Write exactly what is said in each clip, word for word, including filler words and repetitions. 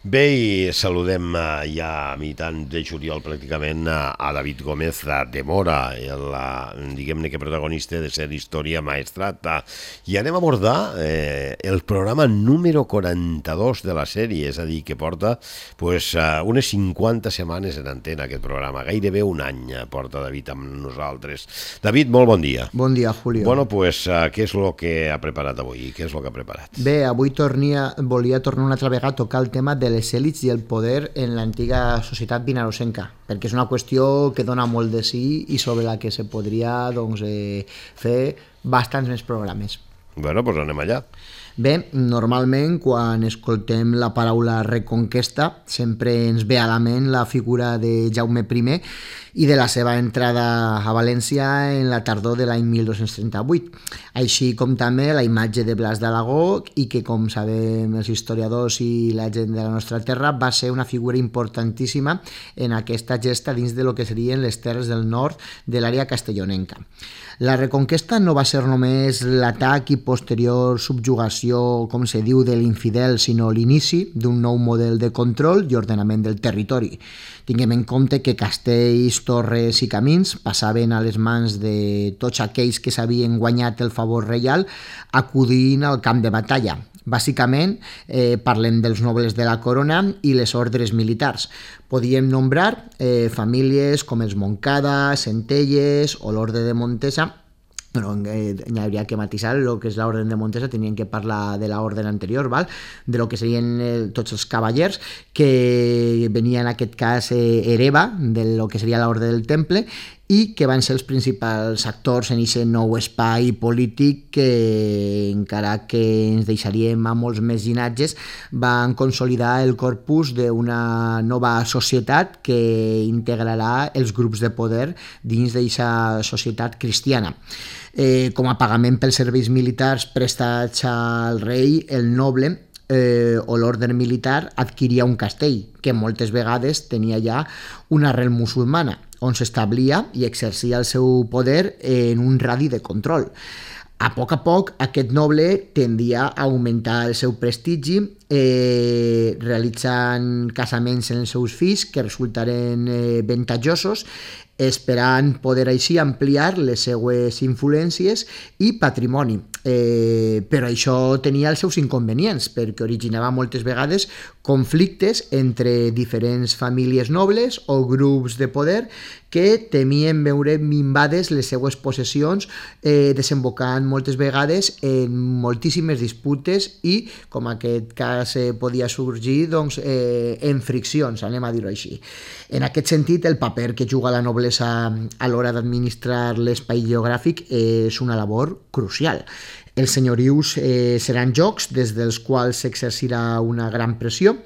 Bé, i saludem eh, ja a mitjans de juliol pràcticament a, a David Gómez de Mora, el, eh, diguem-ne que protagonista de ser Història Maestrata. I anem a abordar eh, el programa número quaranta-dos de la sèrie, és a dir, que porta pues, eh, unes cinquanta setmanes en antena aquest programa, gairebé un any porta David amb nosaltres. David, molt bon dia. Bon dia, Julio. Bueno, pues, eh, què és el que ha preparat avui? Què és el que ha preparat? Bé, avui tornia, volia tornar una altra vegada a tocar el tema de les èlits i el poder en l'antiga societat vinarosenca, perquè és una qüestió que dona molt de sí i sobre la que se podria doncs, eh, fer bastants més programes. Bueno, doncs anem allà. Bé, normalment quan escoltem la paraula reconquesta sempre ens ve a la ment la figura de Jaume primer i de la seva entrada a València en la tardor de l'any mil dos-cents trenta-vuit, així com també la imatge de Blas d'Alagó i que, com sabem els historiadors i la gent de la nostra terra, va ser una figura importantíssima en aquesta gesta dins de lo que serien les terres del nord de l'àrea castellonenca. La reconquesta no va ser només l'atac i posterior subjugació, com se diu, de l'infidel, sinó l'inici d'un nou model de control i ordenament del territori. Tinguem en compte que castells, torres i camins passaven a les mans de tots aquells que s'havien guanyat el favor reial acudint al camp de batalla. Bàsicament, eh, parlem dels nobles de la corona i les ordres militars. Podíem nombrar eh, famílies com els Montcada, Centelles o l'Orde de Montesa. Bueno, eh, hi hauria que matisar el que és l'Orde de Montesa, tenien que parlar de l'ordre anterior, val? De lo que serien eh, tots els cavallers, que venia en aquest cas eh, hereva de lo que seria l'Orde del Temple, i que van ser els principals actors en aquest nou espai polític que, encara que ens deixaríem a molts més llinatges, van consolidar el corpus d'una nova societat que integrarà els grups de poder dins d'aquesta societat cristiana. Eh, com a pagament pels serveis militars prestats al rei, el noble eh, o l'ordre militar adquiria un castell, que moltes vegades tenia ja una arrel musulmana, on s'establia i exercia el seu poder en un radi de control. A poc a poc, aquest noble tendia a augmentar el seu prestigi, eh, realitzant casaments en els seus fills que resultaren eh, avantatjosos, esperant poder així ampliar les seues influències i patrimoni. Eh, però això tenia els seus inconvenients, perquè originava moltes vegades conflictes entre diferents famílies nobles o grups de poder que temien veure minvades les seues possessions, eh, desembocant moltes vegades en moltíssimes disputes i, com aquest cas eh, podia sorgir, doncs, eh, en friccions, anem a dir-ho així. En aquest sentit, el paper que juga la noblesa a l'hora d'administrar l'espai geogràfic és una labor crucial. Els senyorius eh, seran jocs des dels quals s'exercirà una gran pressió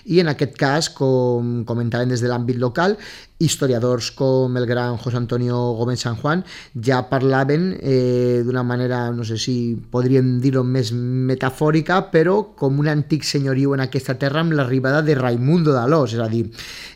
i en aquest cas, com comentaven des de l'àmbit local, historiadors com el gran José Antonio Gómez San Juan ja parlaven eh, d'una manera, no sé si podríem dir-ho més metafòrica, però com un antic senyoriu en aquesta terra amb l'arribada de Raimundo d'Alòs, és a dir,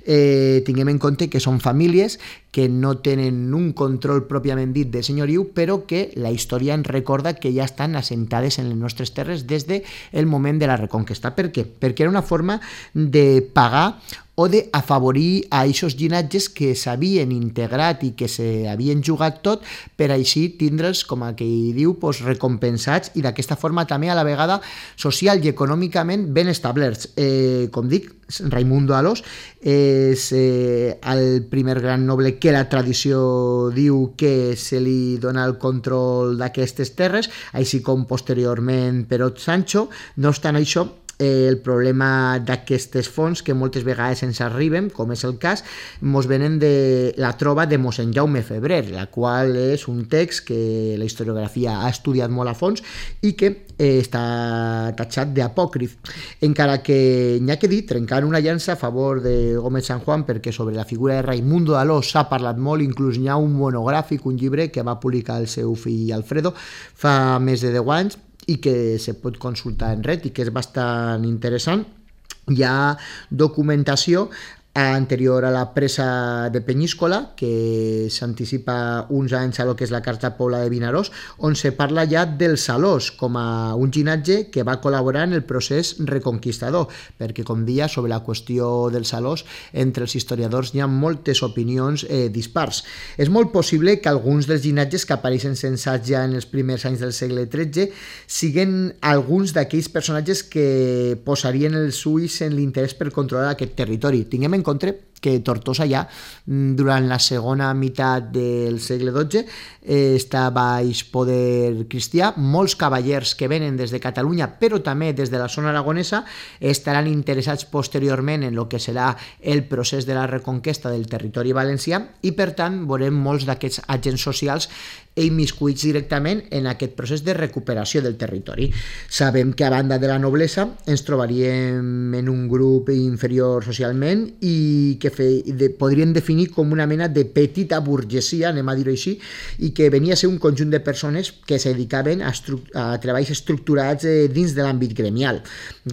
eh, tinguem en compte que són famílies que no tenen un control pròpiament dit de senyoriu, però que la història ens recorda que ja estan assentades en les nostres terres des del moment de la Reconquesta. Per què? Perquè era una forma de pagar o d'afavorir a aquests llinatges que s'havien integrat i que s'havien jugat tot per així tindre'ls, com aquell diu, doncs, recompensats i d'aquesta forma també a la vegada social i econòmicament ben establerts. Eh, com dic, Raimundo d'Alòs és eh, el primer gran noble que la tradició diu que se li dona el control d'aquestes terres, així com posteriorment Perot Sancho. No obstant això, Eh, el problema d'aquestes fonts que moltes vegades ens arriben, com és el cas, mos venen de la trova de mossèn Jaume Febrer, la qual és un text que la historiografia ha estudiat molt a fons i que eh, està tatxat d'apòcrif. Encara que n'hi ha que dir, trencant una llança a favor de Gómez San Juan, perquè sobre la figura de Raimundo d'Alòs s'ha parlat molt, inclús n'hi ha un monogràfic, un llibre que va publicar el seu fill Alfredo fa més de deu anys, i que se pot consultar en red i que és bastant interessant. Hi ha documentació anterior a la presa de Penyíscola, que s'anticipa uns anys a lo que és la Carta Pobla de Vinaròs, on se parla ja del Salós com a un llinatge que va col·laborar en el procés reconquistador, perquè, com dia, sobre la qüestió del Salós, entre els historiadors hi ha moltes opinions eh, dispars. És molt possible que alguns dels llinatges que apareixen censats ja en els primers anys del segle tretze siguen alguns d'aquells personatges que posarien els ulls en l'interès per controlar aquest territori. Tinguem en compte que Tortosa ja, durant la segona meitat del segle dotze, eh, està baix poder cristià. Molts cavallers que venen des de Catalunya, però també des de la zona aragonesa, estaran interessats posteriorment en el que serà el procés de la reconquesta del territori valencià i, per tant, veurem molts d'aquests agents socials immiscuits directament en aquest procés de recuperació del territori. Sabem que, a banda de la noblesa, ens trobaríem en un grup inferior socialment i que fe, de, podríem definir com una mena de petita burgesia, anem a dir-ho així, i que venia a ser un conjunt de persones que se dedicaven a, a treballs estructurats eh, dins de l'àmbit gremial.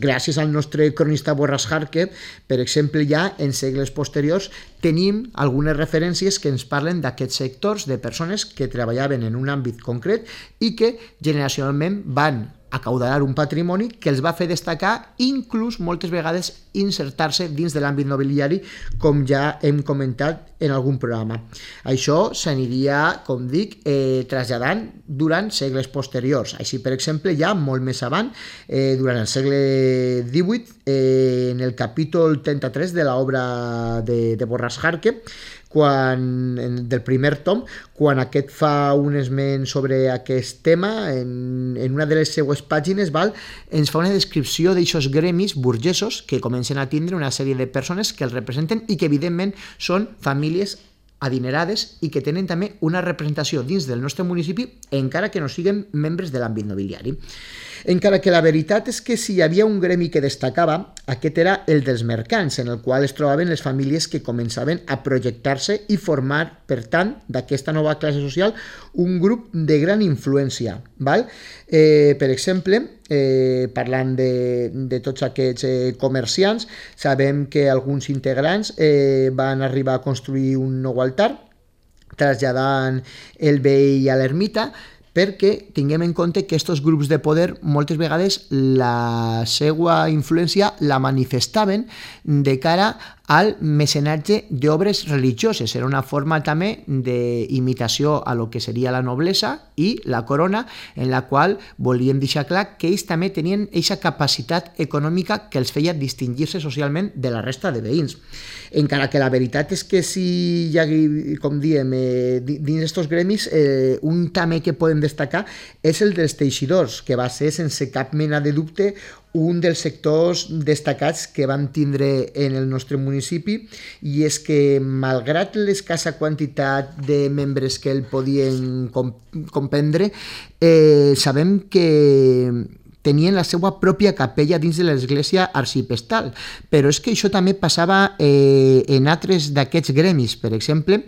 Gràcies al nostre cronista Borràs Jarque, per exemple, ja en segles posteriors tenim algunes referències que ens parlen d'aquests sectors de persones que treballaven en un àmbit concret i que generacionalment van acaudalar un patrimoni que els va fer destacar, inclús moltes vegades insertar-se dins de l'àmbit nobiliari, com ja hem comentat en algun programa. Això s'aniria, com dic, eh, traslladant durant segles posteriors. Així, per exemple, ja molt més avant, eh, durant el segle divuit, eh, en el capítol trenta-tres de l'obra de, de Borràs Jarque, quan, del primer tom, quan aquest fa un esment sobre aquest tema, en, en una de les seues pàgines, val, ens fa una descripció d'aixòs gremis burgesos que comencen a tindre una sèrie de persones que els representen i que, evidentment, són famílies adinerades i que tenen també una representació dins del nostre municipi, encara que no siguin membres de l'àmbit nobiliari. Encara que la veritat és que si hi havia un gremi que destacava, aquest era el dels mercants, en el qual es trobaven les famílies que començaven a projectar-se i formar, per tant, d'aquesta nova classe social, un grup de gran influència. Val? Eh, per exemple, eh, parlant de, de tots aquests eh, comerciants, sabem que alguns integrants eh, van arribar a construir un nou altar, traslladant el veí a l'ermita, perquè tinguem en compte que aquests grups de poder moltes vegades la seva influència la manifestaven de cara al mecenatge d'obres religioses. Era una forma també d'imitació a lo que seria la noblesa i la corona, en la qual volíem deixar clar que ells també tenien aquesta capacitat econòmica que els feia distingir-se socialment de la resta de veïns. Encara que la veritat és que si hi ha, com diem, eh, dins d'aquests gremis, eh, un també que podem destacar és el dels teixidors, que va ser, sense cap mena de dubte, un dels sectors destacats que vam tindre en el nostre municipi, i és que, malgrat l'escassa quantitat de membres que el podien comprendre, eh, sabem que tenien la seva pròpia capella dins de l'església arcipestal, però és que això també passava eh, en altres d'aquests gremis. Per exemple,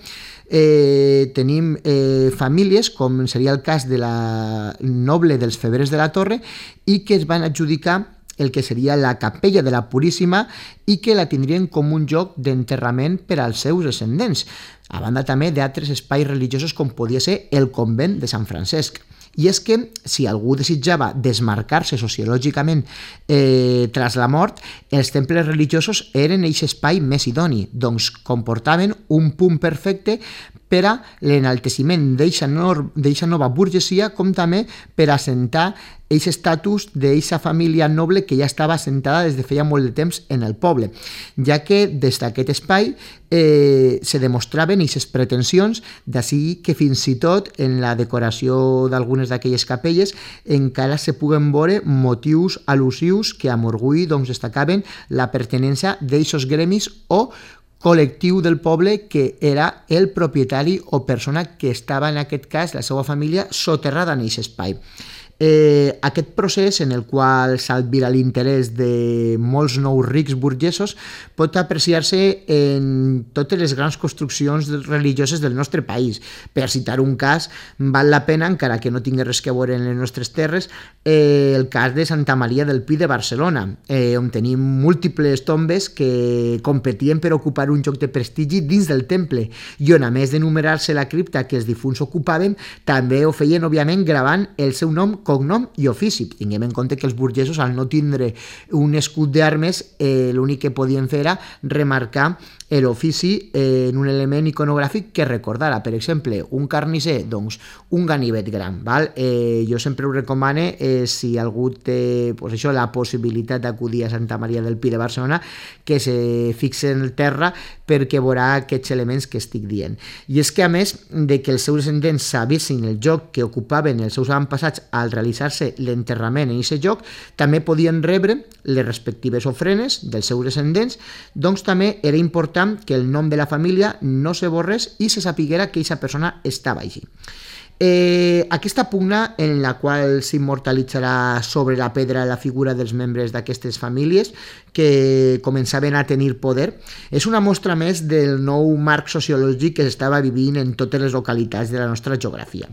eh, tenim eh, famílies, com seria el cas de la noble dels Febrers de la Torre, i que es van adjudicar el que seria la capella de la Puríssima i que la tindrien com un lloc d'enterrament per als seus descendents, a banda també d'altres espais religiosos com podia ser el convent de Sant Francesc. I és que, si algú desitjava desmarcar-se sociològicament eh, tras la mort, els temples religiosos eren aquest espai més idoni, doncs comportaven un punt perfecte per a l'enalteciment d'aquesta nova burgesia, com també per assentar aquest estatus d'aquesta família noble que ja estava assentada des de feia molt de temps en el poble, ja que des d'aquest espai eh, se demostraven aquestes pretensions, d'ací que fins i tot en la decoració d'algunes d'aquelles capelles encara se puguen veure motius al·lusius que amb orgull doncs, destacaven la pertinença d'aquests gremis o col·lectiu del poble que era el propietari o persona que estava, en aquest cas, la seva família, soterrada en aquest espai. Eh, aquest procés, en el qual s'albira l'interès de molts nous rics burgesos, pot apreciar-se en totes les grans construccions religioses del nostre país. Per citar un cas, val la pena, encara que no tingui res que veure en les nostres terres, eh, el cas de Santa Maria del Pi de Barcelona, eh, on tenim múltiples tombes que competien per ocupar un lloc de prestigi dins del temple, i on, a més d'enumerar-se la cripta que els difunts ocupaven, també ho feien, òbviament, gravant el seu nom, cognom i ofici. Tinguem en compte que els burgesos, al no tindre un escut d'armes, eh, l'únic que podien fer era remarcar l'ofici eh, en un element iconogràfic que recordara. Per exemple, un carnisser, doncs un ganivet gran. Val? Eh, jo sempre ho recomano, eh, si algú té pues això, la possibilitat d'acudir a Santa Maria del Pi de Barcelona, que se fixe en el terra perquè veurà aquests elements que estic dient. I és que, a més de que els seus descendents sabessin el lloc que ocupaven els seus avantpassats al realitzar-se l'enterrament en aquest lloc, també podien rebre les respectives ofrenes dels seus descendents, doncs també era important que el nom de la família no se borrés i se sapiguera que aquesta persona estava així. Eh, aquesta pugna, en la qual s'immortalitzarà sobre la pedra la figura dels membres d'aquestes famílies que començaven a tenir poder, és una mostra més del nou marc sociològic que s'estava vivint en totes les localitats de la nostra geografia.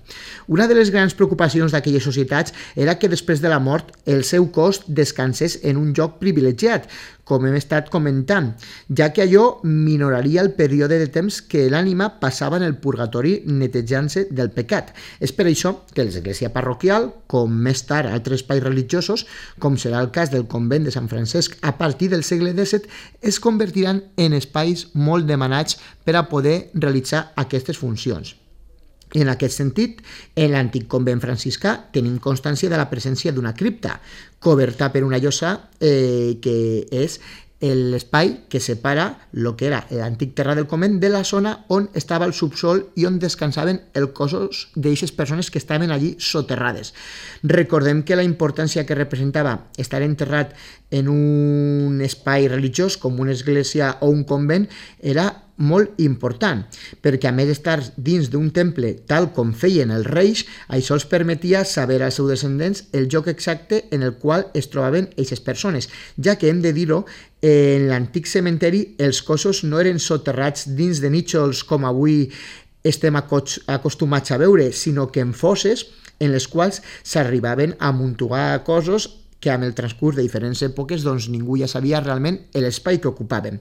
Una de les grans preocupacions d'aquelles societats era que després de la mort el seu cos descansés en un lloc privilegiat, com hem estat comentant, ja que allò minoraria el període de temps que l'ànima passava en el purgatori netejant-se del pecat. És per això que l'església parroquial, com més tard altres espais religiosos, com serà el cas del convent de Sant Francesc a partir del segle disset, es convertiran en espais molt demanats per a poder realitzar aquestes funcions. En aquest sentit, en l'antic convent franciscà tenim constància de la presència d'una cripta, coberta per una llosa eh, que és l'espai que separa el que era l'antic terra del convent de la zona on estava el subsol i on descansaven els cossos d'aquestes persones que estaven allí soterrades. Recordem que la importància que representava estar enterrat en un espai religiós com una església o un convent era molt important, perquè a més d'estar dins d'un temple tal com feien els reis, això els permetia saber als seus descendents el lloc exacte en el qual es trobaven aquestes persones, ja que hem de dir-ho, en l'antic cementeri els cossos no eren soterrats dins de nítxols com avui estem acostumats a veure, sinó que en fosses en les quals s'arribaven a amuntugar cossos que amb el transcurs de diferents èpoques doncs, ningú ja sabia realment l'espai que ocupaven.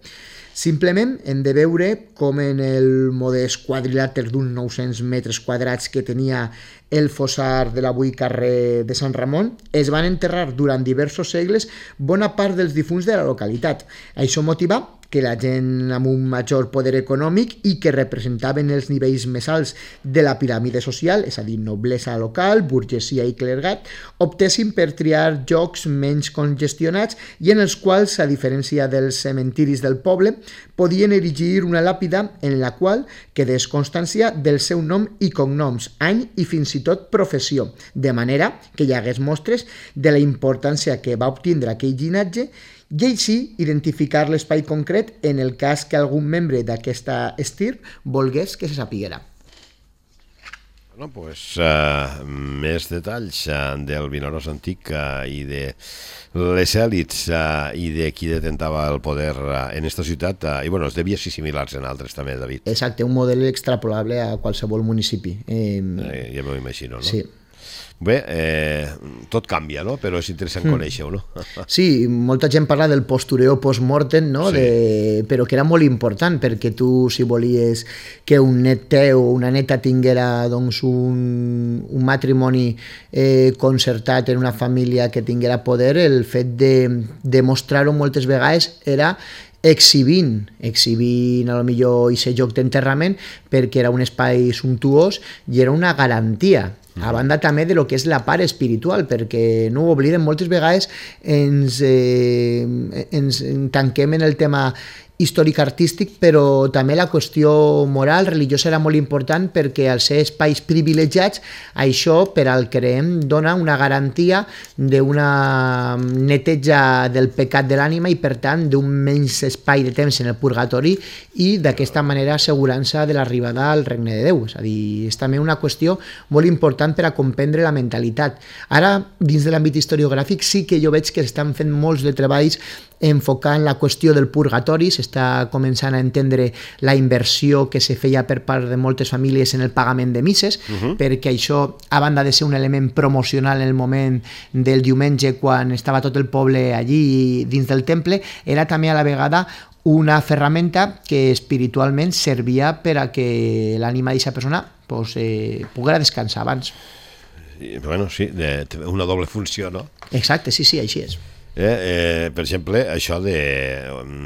Simplement hem de veure com en el modest quadrilàter d'uns nou-cents metres quadrats que tenia el fossar de l'avui carrer de Sant Ramon, es van enterrar durant diversos segles bona part dels difunts de la localitat. Això motiva que la gent amb un major poder econòmic i que representaven els nivells més alts de la piràmide social, és a dir, noblesa local, burgesia i clergat, optessin per triar llocs menys congestionats i en els quals, a diferència dels cementiris del poble, podien erigir una làpida en la qual quedés constància del seu nom i cognoms, any i fins i tot professió, de manera que hi hagués mostres de la importància que va obtindre aquell llinatge i així identificar l'espai concret en el cas que algun membre d'aquesta estirp volgués que se sapiguera. Bueno, pues, uh, més detalls uh, del Vinaròs antic uh, i de les èlits uh, i de qui detentava el poder uh, en esta ciutat, uh, i bueno, es devia ser similars en altres també, David. Exacte, un model extrapolable a qualsevol municipi. Eh, eh, ja m'ho imagino, no? Sí. Bé, eh, tot canvia, no? Però és interessant mm. conèixer-ho, no? Sí, molta gent parla del postureo post-mortem, no? Sí. De... però que era molt important, perquè tu, si volies que un net teu o una neta tinguera doncs, un, un matrimoni eh, concertat en una família que tinguera poder, el fet de demostrar-ho moltes vegades era exhibint, exhibint a lo millor aquest lloc d'enterrament perquè era un espai sumptuós i era una garantia. A banda també de lo que és la part espiritual, perquè no ho oblidem, moltes vegades ens, eh, ens tanquem en el tema històric-artístic, però també la qüestió moral, religiosa era molt important perquè al ser espais privilegiats, això, per al creem, dona una garantia d'una neteja del pecat de l'ànima i, per tant, d'un menys espai de temps en el purgatori i d'aquesta manera assegurança de l'arribada al regne de Déu. És a dir, és també una qüestió molt important per a comprendre la mentalitat. Ara, dins de l'àmbit historiogràfic, sí que jo veig que estan fent molts de treballs enfocant la qüestió del purgatori, s'està començant a entendre la inversió que se feia per part de moltes famílies en el pagament de misses, uh-huh. perquè això, a banda de ser un element promocional en el moment del diumenge, quan estava tot el poble allí dins del temple, era també a la vegada una ferramenta que espiritualment servia per a que l'ànima d'aquesta persona pues, eh, poguera descansar abans. Bueno, sí, de, una doble funció, no? Exacte, sí, sí, així és. Eh, eh, per exemple, això de,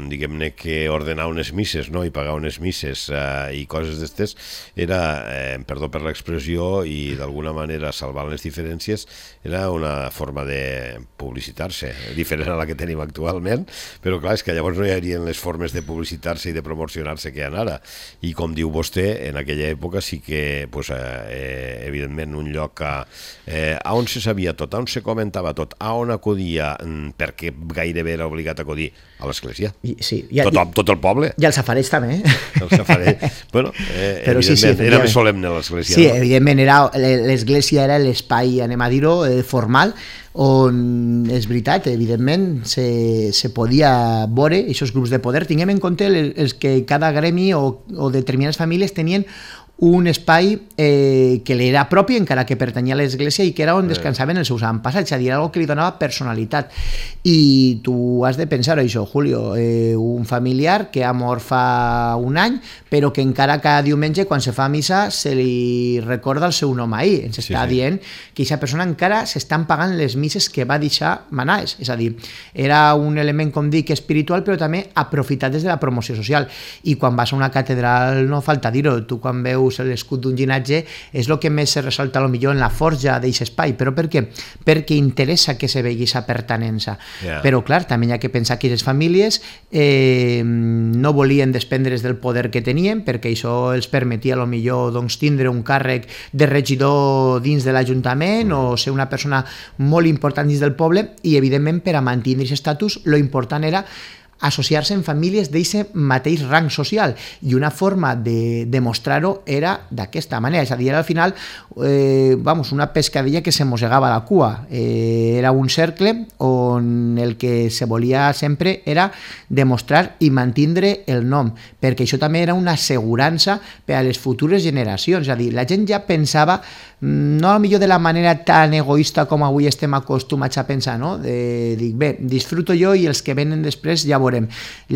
diguem-ne, que ordenar unes misses, no?, i pagar unes misses eh, i coses d'estes, era, eh, perdó per l'expressió, i d'alguna manera salvant les diferències, era una forma de publicitar-se, diferent a la que tenim actualment, però clar, és que llavors no hi haurien les formes de publicitar-se i de promocionar-se que hi ha ara, i com diu vostè, en aquella època sí que, pues, eh, evidentment, un lloc a, eh, a on se sabia tot, a on se comentava tot, a on acudia, perquè gairebé era obligat a acudir a l'església. Sí, ja, tot, tot el poble. I el safareig també. Eh? El safareig. Bueno, eh, Però evidentment, sí, sí, era més solemne l'església. Sí, no? evidentment, era, l'església era l'espai, anem a dir-ho, eh, formal, on és veritat, evidentment, se, se podia veure aquests grups de poder. Tinguem en compte els que cada gremi o, o determinades famílies tenien un espai eh, que li era propi, encara que pertanyia a l'església, i que era on descansaven els seus avantpassats, és a dir, algo que li donava personalitat. I tu has de pensar això, Julio, eh, un familiar que ha mort fa un any, però que encara cada diumenge, quan se fa missa, se li recorda el seu nom ahir. Ens està sí, sí. dient que aquesta persona encara s'estan pagant les misses que va deixar manars. És a dir, era un element, com dic, espiritual, però també aprofitat des de la promoció social. I quan vas a una catedral, no falta dir-ho, tu quan veus l'escut d'un llinatge és el que més se ressalta millor en la forja d'aquest espai. Però per què? Perquè interessa que se vegi aquesta pertanença. Yeah. Però clar, també hi ha que pensar que les famílies eh, no volien desprendre's del poder que tenien, perquè això els permetia millor doncs, tindre un càrrec de regidor dins de l'Ajuntament mm. o ser una persona molt important dins del poble, i evidentment per a mantenir aquest estatus lo important era associar-se en famílies d'aquest mateix rang social, i una forma de demostrar-ho era d'aquesta manera, és a dir, era al final eh, vamos, una pescadilla que se mossegava la cua, eh, era un cercle on el que se volia sempre era demostrar i mantindre el nom, perquè això també era una assegurança per a les futures generacions, és a dir, la gent ja pensava no millor de la manera tan egoista com avui estem acostumats a pensar, no? De, dic, bé, disfruto jo i els que venen després ja veurem.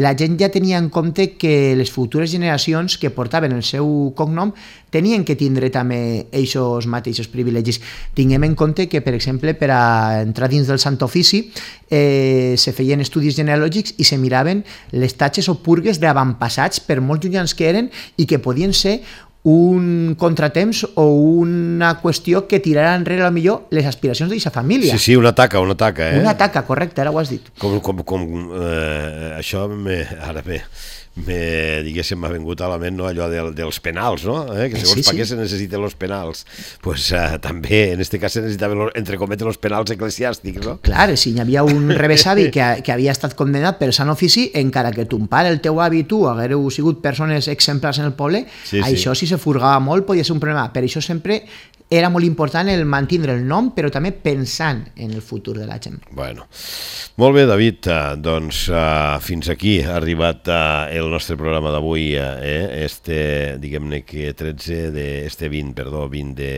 La gent ja tenia en compte que les futures generacions que portaven el seu cognom tenien que tindre també aquests mateixos privilegis. Tinguem en compte que, per exemple, per a entrar dins del Sant Ofici eh, se feien estudis genealògics i se miraven les tatxes o purgues d'avantpassats, per molt llunyans que eren, i que podien ser un contratemps o una qüestió que tirarà enrere a millor les aspiracions d'aquesta família. Sí, sí, una taca, una taca. Eh? Una taca, correcte, ara ho has dit. Com, com, com eh, això me, ara bé, me, diguéssim, m'ha vingut a la ment, no, allò de, dels penals, no? Eh? Que segons sí, sí. per què se necessiten els penals. Pues eh, també, en este cas, se necessitaven, entre cometes, els penals eclesiàstics, no? Clar, si hi havia un rebesavi que, que havia estat condemnat per sant ofici, encara que ton pare, el teu avi i tu haguereu sigut persones exemplars en el poble, sí, això sí. si se furgava molt podia ser un problema. Per això sempre era molt important el mantindre el nom, però també pensant en el futur de la gent. Bueno, molt bé, David, doncs uh, fins aquí ha arribat uh, el nostre programa d'avui, eh? este, diguem-ne que tretze de, este vint, perdó, vint de,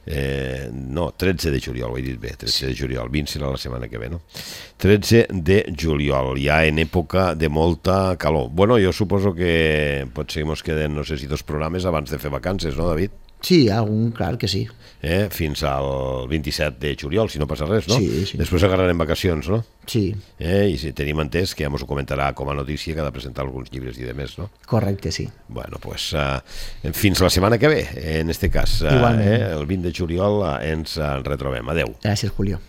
eh, no, tretze de juliol, ho he dit bé, tretze de juliol, vint serà la setmana que ve, no? tretze de juliol, ja en època de molta calor. Bueno, jo suposo que potser mos queden, no sé si dos programes abans de fer vacances, no, David? Sí, algun, clar que sí. Eh? Fins al vint-i-set de juliol, si no passa res, no? Sí, sí. Després agarrarem vacacions, no? Sí. Eh? I si tenim entès que ja ens ho comentarà com a notícia que ha de presentar alguns llibres i demés, no? Correcte, sí. Bueno, pues uh, fins la setmana que ve, en este cas. Uh, eh? El vint de juliol uh, ens uh, retrobem. Adeu. Gràcies, Julio.